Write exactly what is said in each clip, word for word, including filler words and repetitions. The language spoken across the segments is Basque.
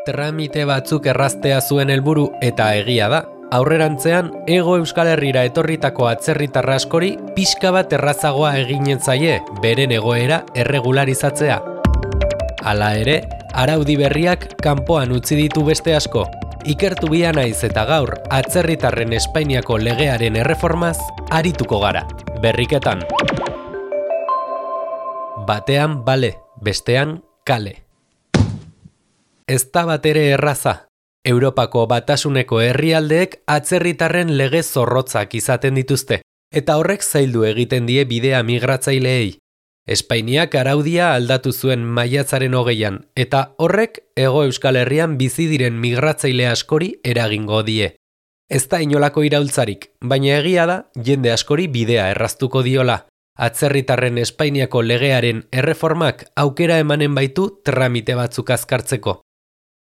Tramite batzuk erraztea zuen helburu eta egia da. Aurrerantzean, Hego Euskal Herrira etorritako atzerritar askori pixka bat errazagoa eginen zaie beren egoera erregularizatzea. Hala ere, araudi berriak kanpoan utzi ditu beste asko. Ikertu bia naiz eta gaur atzerritarren Espainiako legearen erreformaz arituko gara. Berriketan. Batean bale, bestean kale. Ez da batere erraza. Europako batasuneko herrialdeek atzerritarren lege zorrotzak izaten dituzte, eta horrek zaildu egiten die bidea migratzaileei. Espainiak araudia aldatu zuen maiatzaren hogeian, eta horrek Hego Euskal Herrian bizi diren migratzaile askori eragingo die. Ez da inolako iraultzarik, baina egia da jende askori bidea erraztuko diola. Atzerritarren Espainiako legearen erreformak aukera emanen baitu tramite batzuk azkartzeko.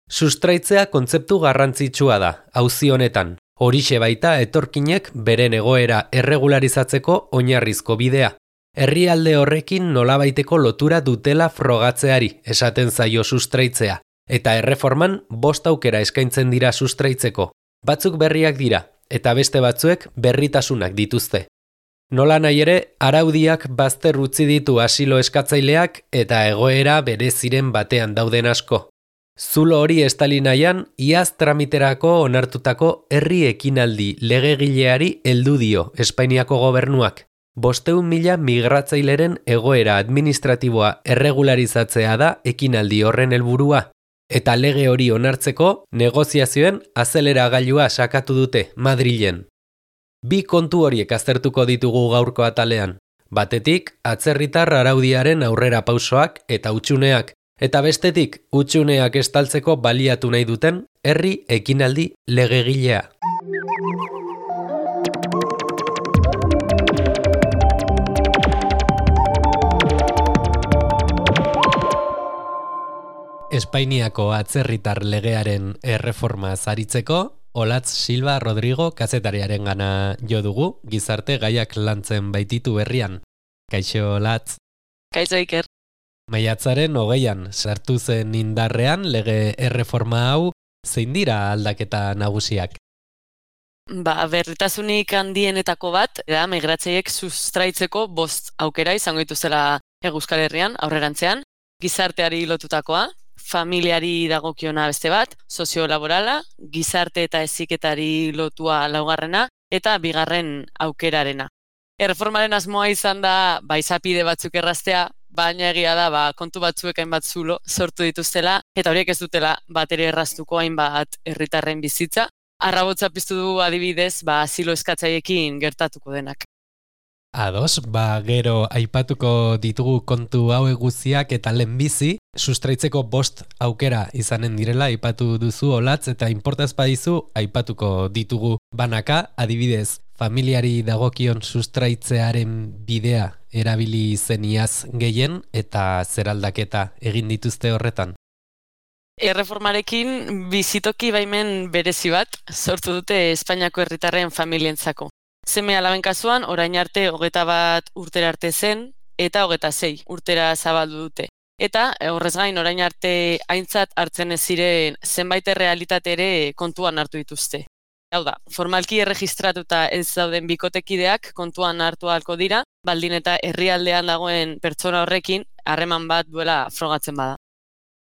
Sustraitzea kontzeptu garrantzitsua da, auzi honetan. Horixe baita etorkinek beren egoera erregularizatzeko oinarrizko bidea. Herrialde horrekin nolabaiteko lotura dutela frogatzeari, esaten zaio sustraitzea. Eta erreforman bost aukera eskaintzen dira sustraitzeko. Batzuk berriak dira, eta beste batzuek berritasunak dituzte. Nola nahi ere, araudiak bazter utzi ditu asilo eskatzaileak eta egoera bereziren batean dauden asko. Zulo hori estali nahian, iaz tramiterako onartutako herri ekinaldi legegileari heldu dio Espainiako gobernuak. Bosteun mila migratzaileren egoera administratiboa erregularizatzea da ekinaldi horren helburua. Eta lege hori onartzeko negoziazioen azeleragailua sakatu dute Madrilen. Bi kontu horiek aztertuko ditugu gaurko atalean. Batetik, atzerritar araudiaren aurrera pausoak eta hutsuneak. Eta bestetik, hutsuneak estaltzeko baliatu nahi duten herri ekinaldi legegilea. Espainiako atzerritar legearen erreforma zaritzeko, Olatz Silva Rodrigo kazetariaren gana jo dugu, gizarte gaiak lantzen baititu berrian. Kaixo, Olatz. Kaixo, Iker. Maiatzaren hogeian sartu zen indarrean lege erreforma hau, zein dira aldaketa nagusiak? Ba, berritasunik handienetako bat, da migratzaileek sustraitzeko bost aukera izango dituzela Hego Euskal Herrian, aurrerantzean, gizarteari lotutakoa, familiari dagokiona beste bat, soziolaborala, gizarte eta heziketari lotua laugarrena, eta bigarren aukerarena. Erreformaren asmoa izan da, ba, izapide batzuk erraztea, baina egia da, ba, kontu batzuek hainbat zulo sortu dituztela, eta horiek ez dutela batere erraztuko hainbat herritarren bizitza. Arrabotza piztu du adibidez, ba, asilo eskatzaiekin gertatuko denak. Ados, ba, gero aipatuko ditugu kontu hauek guztiak eta lehenbizi, sustraitzeko bost aukera izanen direla aipatu duzu Olatz, eta inportaz badizu aipatuko ditugu banaka, adibidez, familiari dagokion sustraitzearen bidea erabili zen iaz gehien eta zer aldaketa egin dituzte horretan. Erreformarekin bizitoki baimen berezi bat sortu dute Espainiako herritarren familientzako. Seme alaben kasuan, orain arte hogeta bat urtera arte zen, eta hogeta sei urtera zabaldu dute. Eta horrez gain orain arte aintzat hartzen ez ziren zenbait errealitate ere kontuan hartu dituzte. Hau da, formalki erregistratuta ez dauden bikotekideak kontuan hartu ahalko dira, baldin eta herrialdean dagoen pertsona horrekin harreman bat duela frogatzen bada.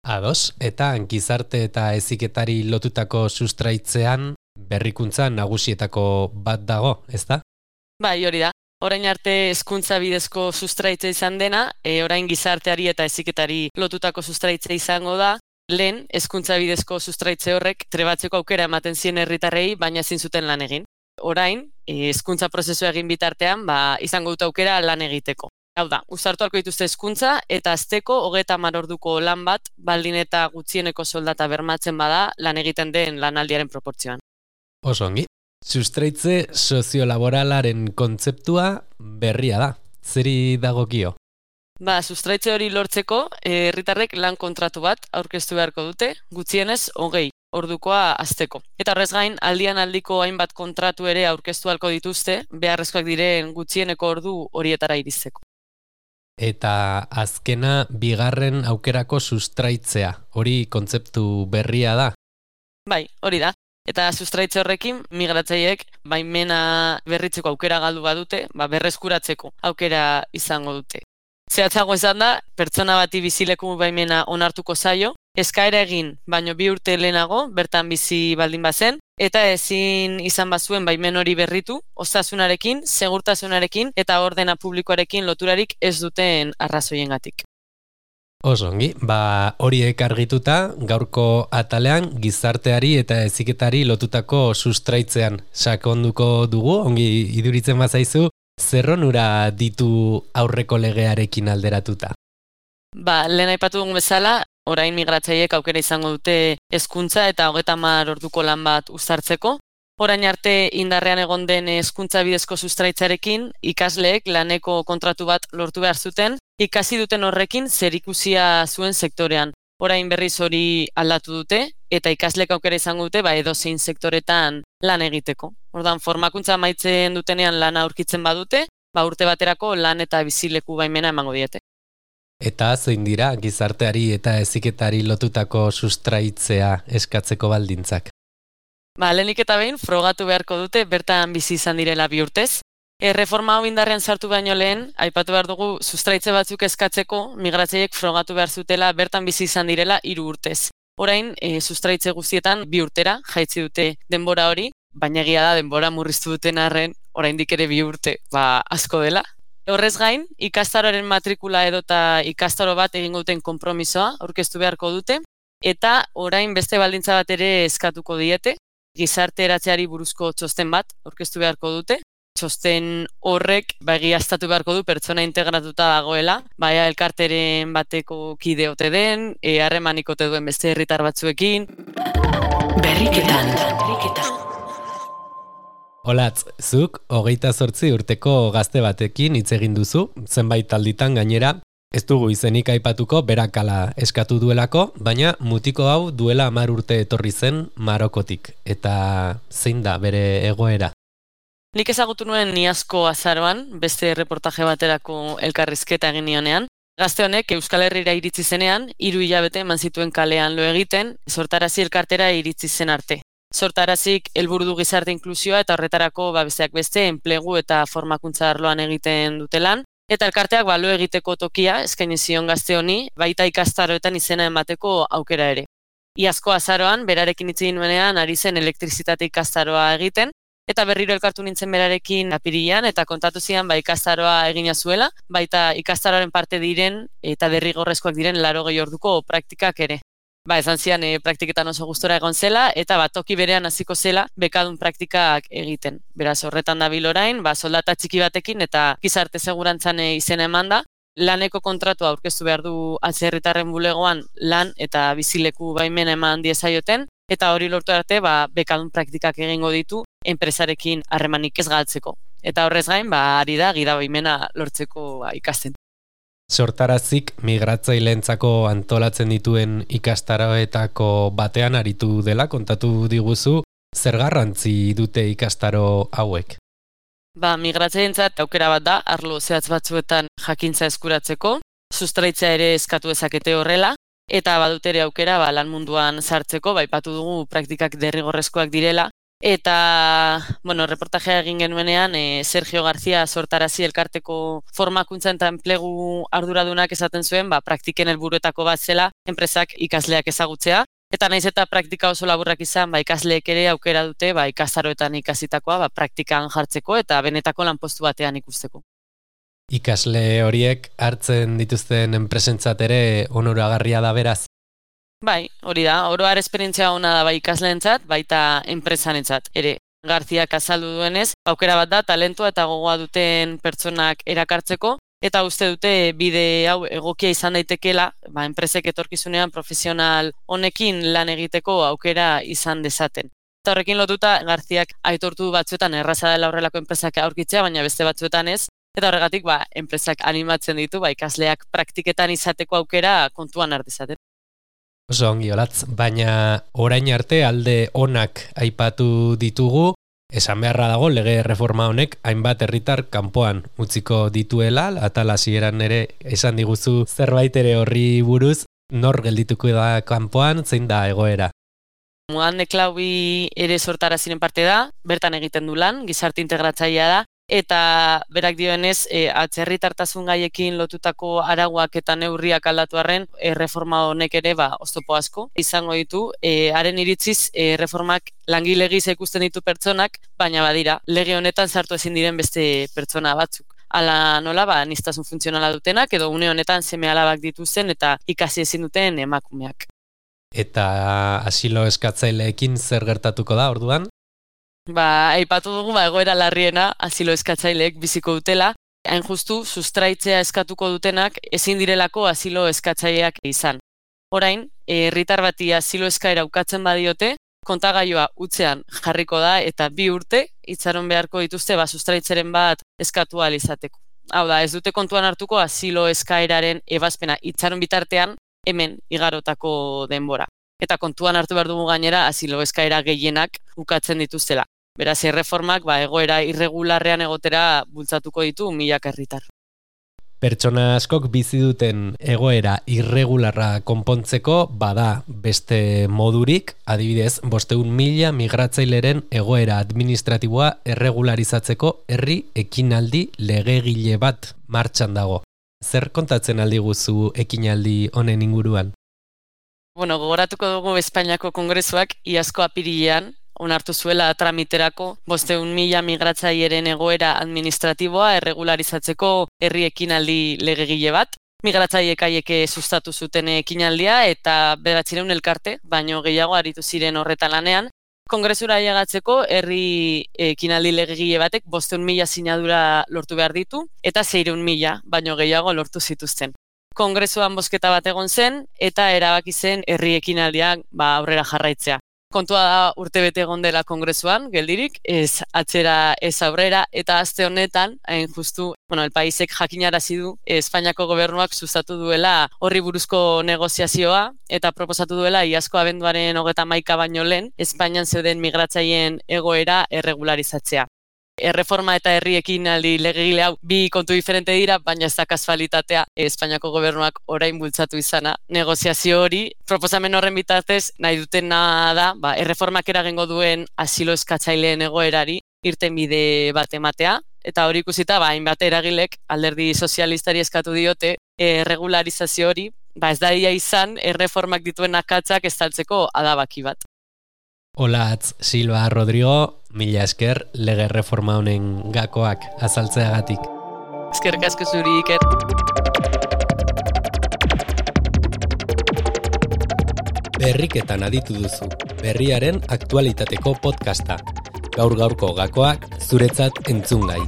Ados, eta gizarte eta heziketari lotutako sustraitzean berrikuntza nagusietako bat dago, ezta? Bai, hori da. Orain arte hezkuntza bidezko sustraitze izan dena, e, orain gizarteari eta heziketari lotutako sustraitze izango da, lehen hezkuntza bidezko sustraitze horrek trebatzeko aukera ematen zien herritarrei, baina ezin zuten lan egin. Orain, hezkuntza prozesua egin bitartean, ba, izango dut aukera lan egiteko. Hau da, uztartu ahalko dituzte hezkuntza eta asteko hogeita hamar orduko lan bat, baldin eta gutxieneko soldata bermatzen bada lan egiten den lanaldiaren proportzioan. Oso ongi. Sustraitze soziolaboralaren kontzeptua berria da. Zeri dagokio? Ba, sustraitze hori lortzeko, herritarrek lan kontratu bat aurkeztu beharko dute, gutxienez hogei ordukoa asteko. Eta horrez gain, aldian aldiko hainbat kontratu ere aurkeztu ahalko dituzte, beharrezkoak diren gutxieneko ordu horietara iristeko. eta azkena bigarren aukerako sustraitzea. Hori kontzeptu berria da. Bai, hori da. Eta sustraitze horrekin migratzaileek baimena berritzeko aukera galdu badute, ba berreskuratzeko aukera izango dute. Zehatzago esan da, pertsona bati bizileku baimena onartuko zaio, eskaera egin, baino bi urte lehenago, bertan bizi baldin bazen, eta ezin izan bazuen baimen hori berritu, osasunarekin, segurtasunarekin eta ordena publikoarekin loturarik ez duten arrazoiengatik. Oso ongi, ba horiek argituta, gaurko atalean gizarteari eta heziketari lotutako sustraitzean sakonduko dugu, ongi iduritzen bazaizu, zer onura ditu aurreko legearekin alderatuta? Ba, lehen aipatu dugun bezala, orain migratzaileek aukera izango dute hezkuntza eta hogeita hamar orduko lan bat uztartzeko. Orain arte indarrean egon den hezkuntza bidezko sustraitzarekin, ikasleek laneko kontratu bat lortu behar zuten, ikasi duten horrekin zerikusia zuen sektorean. Orain berriz hori aldatu dute, eta ikasleek aukera izango dute ba edozein sektoretan lan egiteko. Ordan formakuntza amaitzen dutenean lana aurkitzen badute, ba urte baterako lan eta bizileku baimena emango diete. Eta zein dira gizarteari eta heziketari lotutako sustraitzea eskatzeko baldintzak? Ba, lehenik eta behin frogatu beharko dute bertan bizi izan direla bi urtez. Erreforma hau indarrean sartu baino lehen, aipatu behar dugu sustraitze batzuk eskatzeko, migratzaileek frogatu behar zutela bertan bizi izan direla hiru urtez. Orain, e, sustraitze guztietan bi urtera jaitsi dute denbora hori, baina egia da denbora murriztu duten arren, oraindik ere bi urte, ba asko dela. Horrez gain, ikastaroaren matrikula edota ikastaro bat egingo duten konpromisoa aurkeztu beharko dute, eta orain beste baldintza bat ere eskatuko diete, gizarte eratzeari buruzko txosten bat aurkeztu beharko dute. Txosten horrek ba egiaztatu beharko du pertsona integratuta dagoela, baina elkarteren bateko kide ote den, e, harremanik ote duen beste herritar batzuekin. Berriketan, berriketan. Olatz, zuk hogeita zortzi urteko gazte batekin hitz egin duzu, zenbait alditan gainera, ez dugu izenik aipatuko berakala eskatu duelako, baina mutiko hau duela hamar urte etorri zen Marokotik, eta zein da bere egoera? Nik ezagutu nuen Iazko azaroan, beste reportaje baterako elkarrizketa egin nionean. Gazte honek Euskal Herrira iritsi zenean, hiru hilabete eman zituen kalean lo egiten, sortarazi elkartera iritsi zen arte. Sortarazik helburu du gizarte inklusioa eta horretarako ba besteak beste enplegu eta formakuntza arloan egiten dute lan. Eta elkarteak ba lo egiteko tokia eskaini zion gazte honi, baita ikastaroetan izena emateko aukera ere. Iazko azaroan, berarekin hitz egin nuenean ari zen elektrizitate ikastaroa egiten, eta berriro elkartu nintzen berarekin apirilean eta kontatu zian ba ikastaroa egina zuela, baita ikastaroaren parte diren eta derrigorrezkoak diren laurogei orduko praktikak ere. Ba, esan zian e, praktiketan oso gustora egon zela eta ba toki berean hasiko zela bekadun praktikak egiten. Beraz, horretan dabil orain, ba soldata txiki batekin eta gizarte segurantzan izena emanda, laneko kontratua aurkeztu behar du atzerritarren bulegoan lan eta bizileku baimena eman diezaioten, eta hori lortu arte ba bekadun praktikak egingo ditu enpresarekin harremanik ez galtzeko. Eta horrez gain, ba ari da gida baimena lortzeko ba, ikasten. Sortarazik migratzaileentzako antolatzen dituen ikastaroetako batean aritu dela, kontatu diguzu, zer garrantzi dute ikastaro hauek? Ba, migratzaileentzat aukera bat da, arlo zehatz batzuetan jakintza eskuratzeko, sustraitzea ere eskatu dezakete horrela, eta badute ere aukera ba, lan munduan sartzeko, ba, aipatu dugu praktikak derrigorrezkoak direla, eta, bueno, reportajea egin genuenean, e, Sergio García Sortarazi elkarteko formakuntza eta enplegu arduradunak esaten zuen, ba, praktiken helburuetako bat zela, enpresak ikasleak ezagutzea, eta naiz eta praktika oso laburrak izan, ba, ikasleek ere aukera dute, ba, ikastaroetan ikasitakoa, ba, praktikan jartzeko eta benetako lanpostu batean ikusteko. Ikasle horiek hartzen dituzten enpresentzat ere onoragarria da beraz? Bai, hori da, oro har esperientzia ona da bai ikasleentzat, baita enpresanentzat ere. Garziak azaldu duenez, aukera bat da talentua eta gogoa duten pertsonak erakartzeko, eta uste dute bide hau egokia izan daitekela, ba, enpresek etorkizunean profesional honekin lan egiteko aukera izan dezaten. Eta horrekin lotuta, Garziak aitortu batzuetan erraza dela horrelako enpresak aurkitzea, baina beste batzuetan ez, eta horregatik ba, enpresak animatzen ditu, ba, ikasleak praktiketan izateko aukera kontuan hartizaten. Oso ongi, Olatz, baina orain arte alde onak aipatu ditugu, Esan beharra dago lege reforma honek hainbat herritar kanpoan utziko dituela, atal hasieran ere esan diguzu zerbait ere horri buruz, nor geldituko da kanpoan, zein da egoera? Muan Klaubi ere sortaraziren parte da, bertan egiten du lan, gizarte integratzailea da, eta berak dioenez, e, atzerritartasun gaiekin lotutako arauak eta neurriak aldatu arren, e, reforma honek ere ba, oztopo asko izango ditu. E, haren iritziz, e, reformak langile gisa ikusten ditu pertsonak, baina badira, lege honetan sartu ezin diren beste pertsona batzuk. Ala nola, ba, aniztasun funtzionala dutenak, edo une honetan seme alabak dituzten eta ikasi ezin duten emakumeak. Eta asilo eskatzaileekin zer gertatuko da orduan? Ba, aipatu dugu ba, egoera larriena asilo eskatzaileek biziko dutela, hain justu sustraitzea eskatuko dutenak ezin direlako asilo eskatzaileak izan. Orain, herritar bati asilo eskaera ukatzen badiote, kontagailua utzean jarriko da eta bi urte itxaron beharko dituzte ba, sustraitzeren bat eskatu ahal izateko. Hau da, ez dute kontuan hartuko asilo eskaeraren ebazpena itxaron bitartean hemen igarotako denbora. Eta kontuan hartu behar dugu gainera asilo eskaera gehienak ukatzen dituztela. Beraz, erreformak ba, egoera irregularrean egotera bultzatuko ditu milaka herritar. Pertsona askok bizi duten egoera irregularra konpontzeko bada beste modurik, adibidez, bosteun mila migratzaileren egoera administratiboa erregularizatzeko herri ekinaldi legegile bat martxan dago. Zer kontatzen aldi guzu ekinaldi honen inguruan? Bueno, gogoratuko dugu Espainiako Kongresuak iazko apirilean onartu zuela tramiterako bosteun mila migratzaileren egoera administratiboa erregularizatzeko herri ekinaldi legegile bat. Migratzaileek haiek sustatu zuten ekinaldia eta bederatziehun elkarte, baino gehiago aritu ziren horretan lanean. Kongresura ailegatzeko herri ekinaldi legegile batek bosteun mila sinadura lortu behar ditu eta seiehun mila, baino gehiago lortu zituzten. Kongresuan bozketa bat egon zen eta erabaki zen herri ekinaldiak ba, aurrera jarraitzea. Kontua da urtebete egon dela kongresuan, geldirik, ez atzera ez aurrera, eta aste honetan, hain justu, bueno, el paisek jakinarazi du, Espainiako gobernuak sustatu duela horri buruzko negoziazioa, eta proposatu duela iazko abenduaren hogeta hamaika baino lehen, Espainian zeuden migratzaileen egoera erregularizatzea. Erreforma eta herri ekinaldi legegile hau bi kontu diferente dira, baina ez da kasualitatea Espainiako gobernuak orain bultzatu izana. Negoziazio hori, proposamen horren bitartez, nahi dutena da, ba, erreformak eragingo duen asilo eskatzaileen egoerari irtenbide bat ematea, eta hori ikusita, ba, hainbat eragilek alderdi sozialistari eskatu diote erregularizazio hori, ba, ez daia izan erreformak dituen akatzak estaltzeko adabaki bat. Olatz Silva Rodrigo, mila esker lege reforma honen gakoak azaltzeagatik. Eskerrik asko zuri, Iker. Berriketan aditu duzu, berriaren aktualitateko podcasta. Gaur gaurko gakoak zuretzat entzungai.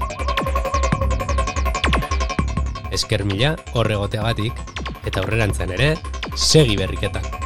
Esker mila horregoteagatik eta aurrerantzean ere, segi berriketan.